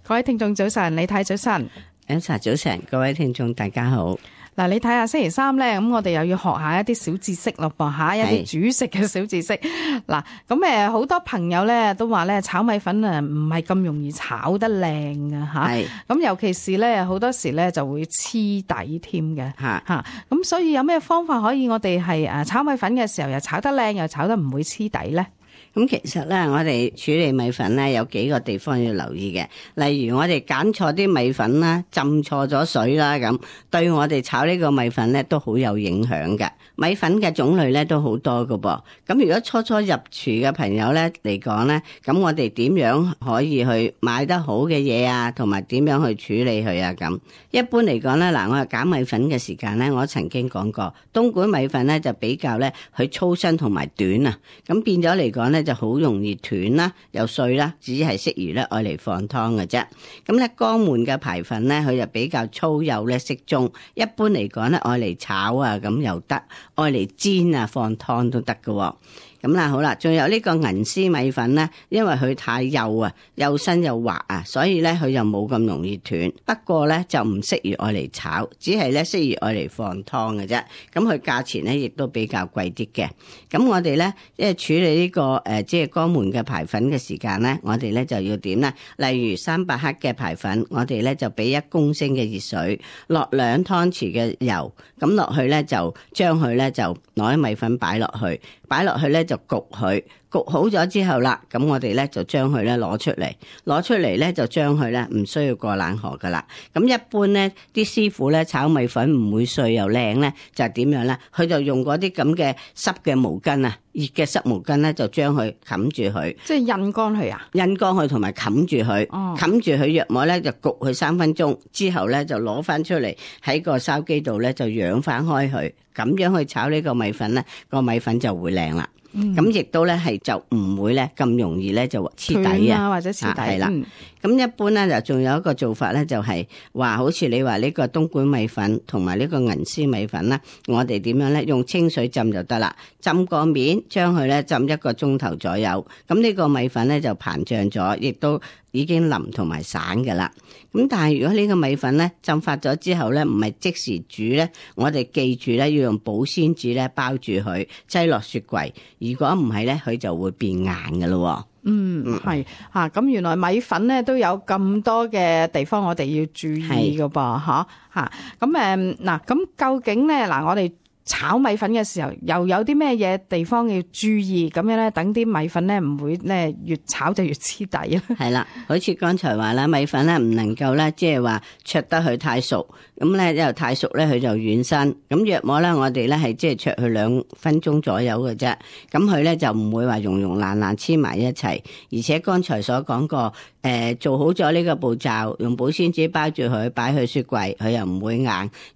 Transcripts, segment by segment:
各位聽眾早晨，李太早晨。Elsa 早晨，各位聽眾大家好。嗱，你睇下星期三咧，咁我哋又要學下一啲小知識咯噃嚇，一啲煮食嘅小知識。嗱，咁好多朋友咧都話咧炒米粉啊唔係咁容易炒得靚嘅嚇，咁尤其是咧好多時咧就會黐底添嘅嚇，咁所以有咩方法可以我哋係炒米粉嘅時候又炒得靚又炒得唔會黐底咧？咁其實咧，我哋處理米粉咧有幾個地方要留意嘅，例如我哋揀錯啲米粉啦，浸錯咗水啦，咁對我哋炒呢個米粉咧都好有影響嘅。米粉嘅種類咧都好多㗎噃，咁如果初初入廚嘅朋友咧嚟講咧，咁我哋點樣可以去買得好嘅嘢啊，同埋點樣去處理佢啊？咁一般嚟講咧，嗱，我係揀米粉嘅時間咧，我曾經講過，東莞米粉咧就比較咧佢粗身同埋短啊，咁變咗嚟講咧就好容易斷啦，又碎啦，只係適宜咧愛嚟放湯嘅啫。咁咧江門嘅排粉咧，佢就比較粗幼咧適中，一般嚟講咧愛嚟炒啊咁又得，愛嚟煎啊放湯都得嘅。咁啦，好啦，仲有呢個銀絲米粉咧，因為佢太幼啊，幼身又滑啊，所以咧佢就冇咁容易斷。不過咧就唔適宜愛嚟炒，只係咧適宜愛嚟放湯嘅啫。咁佢價錢咧亦都比較貴啲嘅。咁我哋咧即係處理呢個即係江門嘅排粉嘅時間咧，我哋咧就要點咧？例如300克嘅排粉，我哋咧就俾1公升嘅熱水，落2湯匙嘅油，咁落去咧就將佢咧就攞啲米粉擺落去咧就焗佢，焗好咗之後啦，咁我哋咧就將佢咧攞出嚟咧就將佢咧唔需要過冷河噶啦。咁一般咧啲師傅咧炒米粉唔會碎又靚咧，就係點樣咧？佢就用嗰啲咁嘅濕嘅毛巾啊，熱嘅濕毛巾咧就將佢冚住佢，即係印乾佢啊？印乾佢同埋冚住佢，冚住佢約莫咧就焗佢3分鐘，之後咧就攞翻出嚟喺個燒機度咧就揚翻開佢，咁樣去炒呢個米粉咧，個米粉就會靚啦。咁亦都咧係就唔會咧咁容易咧就黐底啊，或者黐底。係啦，咁一般咧就仲有一個做法咧，就係話好似你話呢個東莞米粉同埋呢個銀絲米粉啦，我哋點樣咧用清水浸就得啦，浸個面，將佢咧浸1個鐘頭左右，咁呢個米粉咧就膨脹咗，亦都已經腍同埋散㗎啦。咁但係如果呢個米粉咧浸發咗之後咧，唔係即時煮咧，我哋記住咧要用保鮮紙咧包住佢，擠落雪櫃。如果唔係咧，佢就會變硬㗎咯。係嚇，咁原來米粉咧都有咁多嘅地方我哋要注意㗎噃嚇。咁嗱，咁究竟咧嗱，我哋炒米粉嘅時候又有啲咩嘢地方要注意，咁樣咧等啲米粉咧唔會咧越炒就越黐底啦。係啦，好似剛才話啦，米粉咧唔能夠咧即係話灼得佢太熟，咁咧又太熟咧佢就軟身。咁約莫咧我哋咧係即係灼佢2分鐘左右嘅啫，咁佢咧就唔會話溶爛黐埋一齊。而且剛才所講過做好咗呢個步驟，用保鮮紙包住佢，擺去雪櫃，佢又唔會硬。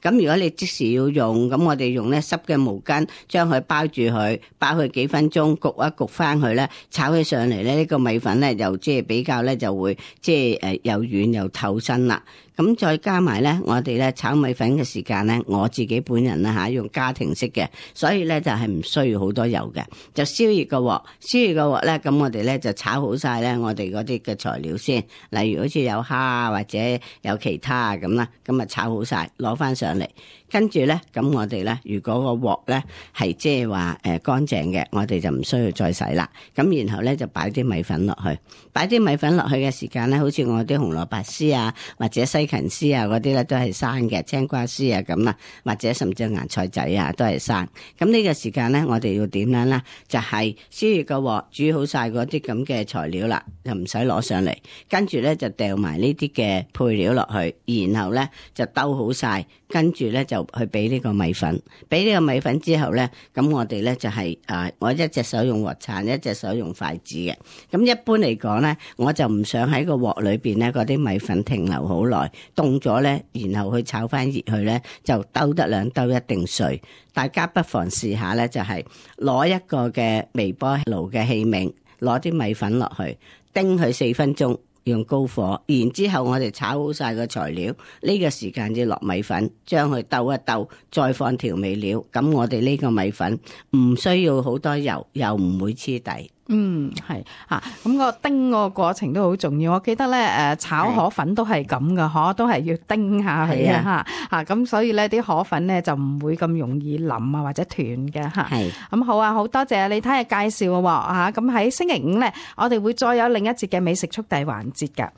咁如果你即時要用，咁我哋用咧濕嘅毛巾將佢包住佢，包佢幾分鐘，焗一焗翻佢咧，炒起上嚟咧呢個米粉咧又即係比較咧就會即係又軟又透身啦。咁再加埋咧，我哋咧炒米粉嘅時間咧，我自己本人啦用家庭式嘅，所以咧就係唔需要好多油嘅，就燒熱個鑊咧，咁我哋咧就炒好晒咧我哋嗰啲嘅材料先，例如好似有蝦或者有其他咁啦，咁啊炒好晒，攞翻上嚟，跟住咧咁我哋咧如果個鑊咧係即係話乾淨嘅，我哋就唔需要再洗啦。咁然後咧就擺啲米粉落去，嘅時間咧，好似我啲紅蘿蔔絲啊，或者西芹絲啊嗰啲咧都係生嘅，青瓜絲啊咁啦，或者甚至芽菜仔啊都係生。咁呢個時間咧，我哋要點樣咧？就係燒熱個鑊，煮好晒嗰啲咁嘅材料啦，就唔使攞上嚟，跟住咧就掉埋呢啲嘅配料落去，然後咧就兜好晒，跟住咧就去俾呢個米粉，俾呢個米粉之後咧，咁我哋咧就係我一隻手用鑊鏟，一隻手用筷子嘅。咁一般嚟講咧，我就唔想喺個鑊裏邊咧嗰啲米粉停留好耐，凍咗咧，然後去炒翻熱佢咧，就兜得2兜一定碎。大家不妨試下咧，就係攞一個嘅微波爐嘅器皿，攞啲米粉落去，叮佢4分鐘。用高火，然之後我哋炒好晒個材料，呢個時間要落米粉，將佢兜一兜，再放調味料。咁我哋呢個米粉唔需要好多油，又唔會黐底。係嚇，咁個叮個過程都好重要。我記得咧炒河粉都係咁噶，都係要叮下佢啊嚇，咁所以咧啲河粉咧就唔會咁容易腍啊或者斷嘅嚇。咁好啊，好多謝你睇下介紹喎嚇。咁喺星期五咧，我哋會再有另一節嘅美食速遞環節㗎。